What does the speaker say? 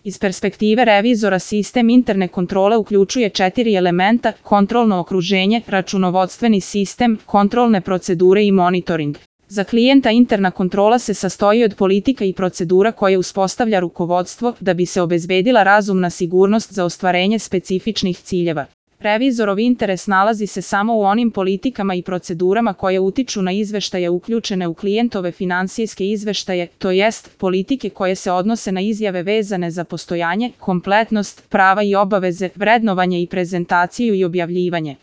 Iz perspektive revizora sistem interne kontrole uključuje 4 elementa: kontrolno okruženje, računovodstveni sistem, kontrolne procedure i monitoring. Za klijenta interna kontrola se sastoji od politika i procedura koje uspostavlja rukovodstvo da bi se obezbedila razumna sigurnost za ostvarenje specifičnih ciljeva. Revizorov interes nalazi se samo u onim politikama i procedurama koje utiču na izveštaje uključene u klijentove finansijske izveštaje, to jest politike koje se odnose na izjave vezane za postojanje, kompletnost, prava i obaveze, vrednovanje i prezentaciju i objavljivanje.